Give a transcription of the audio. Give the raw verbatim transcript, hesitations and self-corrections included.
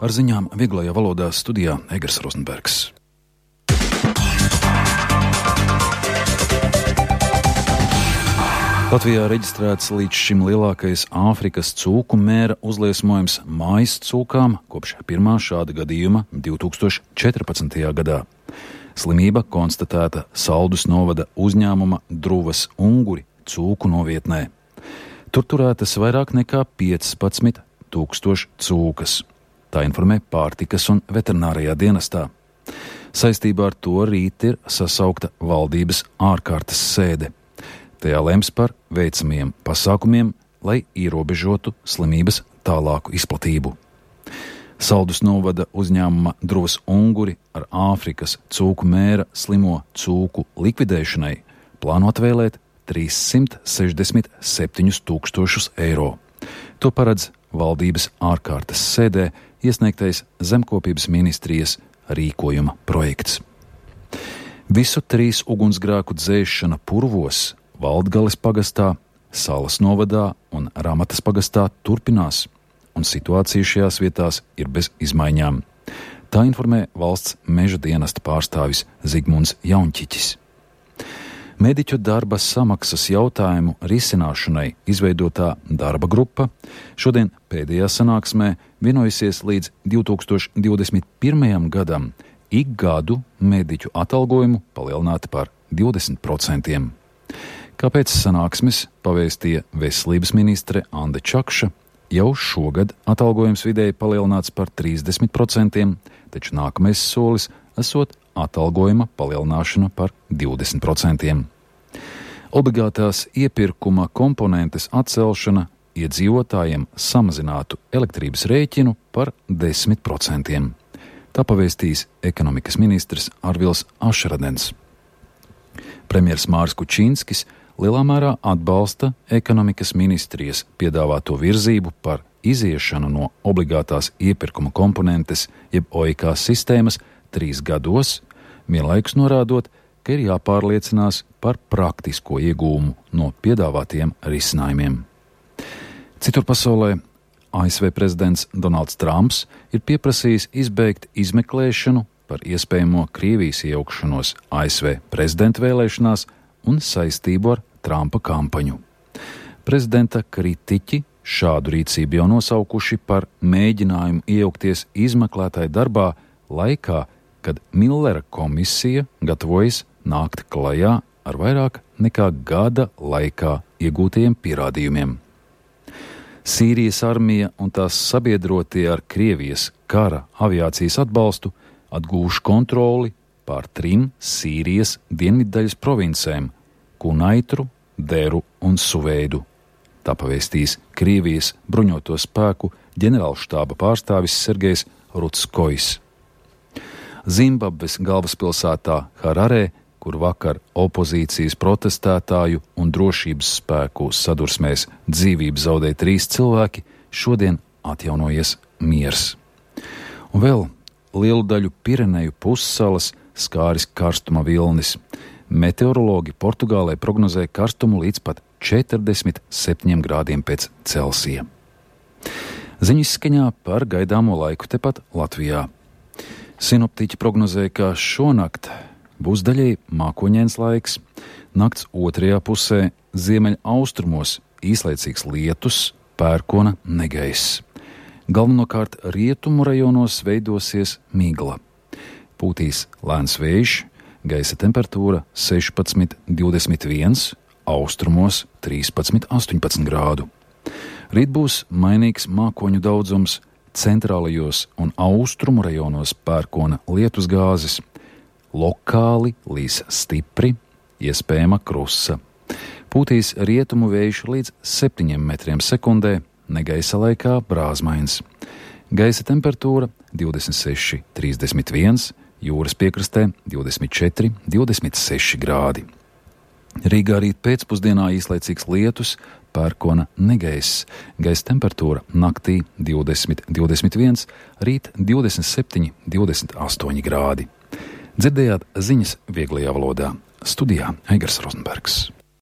Ar ziņām vieglajā valodā studijā Egers Rozenbergs. Latvijā reģistrēts līdz šim lielākais Āfrikas cūku mēra uzliesmojums mājas cūkām kopš pirmā šāda gadījuma divi tūkstoši četrpadsmitajā gadā. Slimība konstatēta Saldus novada uzņēmuma Druvas Unguri cūku novietnē. Tur turētas vairāk nekā piecpadsmit tūkstoši cūkas. Tā informē Pārtikas un veterinārijā dienestā. Saistībā ar to rīt ir sasaukta valdības ārkārtas sēde. Tajā lems par veicamiem pasākumiem, lai ierobežotu slimības tālāku izplatību. Saldus novada uzņēmuma Druvas Unguri ar Āfrikas cūku mēra slimo cūku likvidēšanai plāno atvēlēt trīssimt sešdesmit septiņus tūkstošus eiro. To paredz valdības ārkārtas sēdē iesniegtais Zemkopības ministrijas rīkojuma projekts. Visu trīs ugunsgrēku dzēšana Purvos, Valdgales pagastā, Salas novadā un Ramatas pagastā turpinās, un situācija šajās vietās ir bez izmaiņām. Tā informē valsts meža dienesta pārstāvis Zigmunds Jaunčiķis. Mediķu darba samaksas jautājumu risināšanai izveidotā darba grupa šodien pēdējā sanāksmē vienojusies līdz divi tūkstoši divdesmit pirmajam gadam ik gadu mediķu atalgojumu palielināt par divdesmit procentiem. Kāpēc sanāksmes pavēstīja veselības ministre Ande Čakša, jau šogad atalgojums vidēji palielināts par trīsdesmit procentiem, taču nākamais solis esot atalgojuma palielināšana par divdesmit procentiem. Obligātās iepirkuma komponentes atcelšana iedzīvotājiem samazinātu elektrības rēķinu par desmit procentiem. Tā pavēstīs ekonomikas ministrs Arvils Ašradens. Premjers Māris Kučinskis lielā mērā atbalsta ekonomikas ministrijas piedāvāto virzību par iziešanu no obligātās iepirkuma komponentes jeb O I K sistēmas trīs gados, vienlaikus norādot, ka ir jāpārliecinās par praktisko iegūmu no piedāvātiem risinājumiem. Citur pasaulē A S V prezidents Donalds Trumps ir pieprasījis izbeigt izmeklēšanu par iespējamo Krievijas iejaukšanos A S V prezidenta vēlēšanās un saistību ar Trumpa kampaņu. Prezidenta kritiķi šādu rīcību jau nosaukuši par mēģinājumu iejaukties izmeklētāju darbā laikā, kad Millera komisija gatavojas nākt klajā ar vairāk nekā gada laikā iegūtajiem pierādījumiem. Sīrijas armija un tās sabiedrotie ar Krievijas kara aviācijas atbalstu atgūš kontroli pār trim Sīrijas dienviddaļas provincēm – Kunaitru, Deru un Suveidu. Tā pavēstīs Krievijas bruņoto spēku ģenerālštāba pārstāvis Sergejs Rutskojs. Zimbabves galvaspilsētā Hararē, kur vakar opozīcijas protestētāju un drošības spēku sadursmēs dzīvību zaudēja trīs cilvēki, šodien atjaunojies miers. Un vēl lielu daļu Pireneju pussalas skāris karstuma vilnis. Meteorologi Portugālē prognozē karstumu līdz pat četrdesmit septiņiem grādiem pēc Celsija. Ziņu izskaņā par gaidāmo laiku tepat Latvijā. Sinoptiķi prognozē, ka šonakt būs daļēji mākoņains laiks, nakts otrajā pusē ziemeļa austrumos īslaicīgs lietus, pērkona negaiss. Galvenokārt rietumu rajonos veidosies migla. Pūtīs lēns vējš, gaisa temperatūra sešpadsmit divdesmit viens, austrumos trīspadsmit astoņpadsmit grādu. Rīt būs mainīgs mākoņu daudzums, centrālajos un austrumu rajonos pērkona lietus gāzes. Lokāli līs stipri, iespējama krusa. Pūtīs rietumu vējš līdz septiņiem metriem sekundē, negaisa laikā brāzmains. Gaisa temperatūra divdesmit seši trīsdesmit viens, jūras piekrastē divdesmit četri divdesmit seši grādi. Rīgā rīt pēcpusdienā īslaicīgs lietus, pērkona negaiss. Gaisa temperatūra naktī divdesmit divdesmit viens, rīt divdesmit septiņi divdesmit astoņi grādi. Dzirdējāt ziņas vieglajā valodā. Studijā Egers Rozenbergs.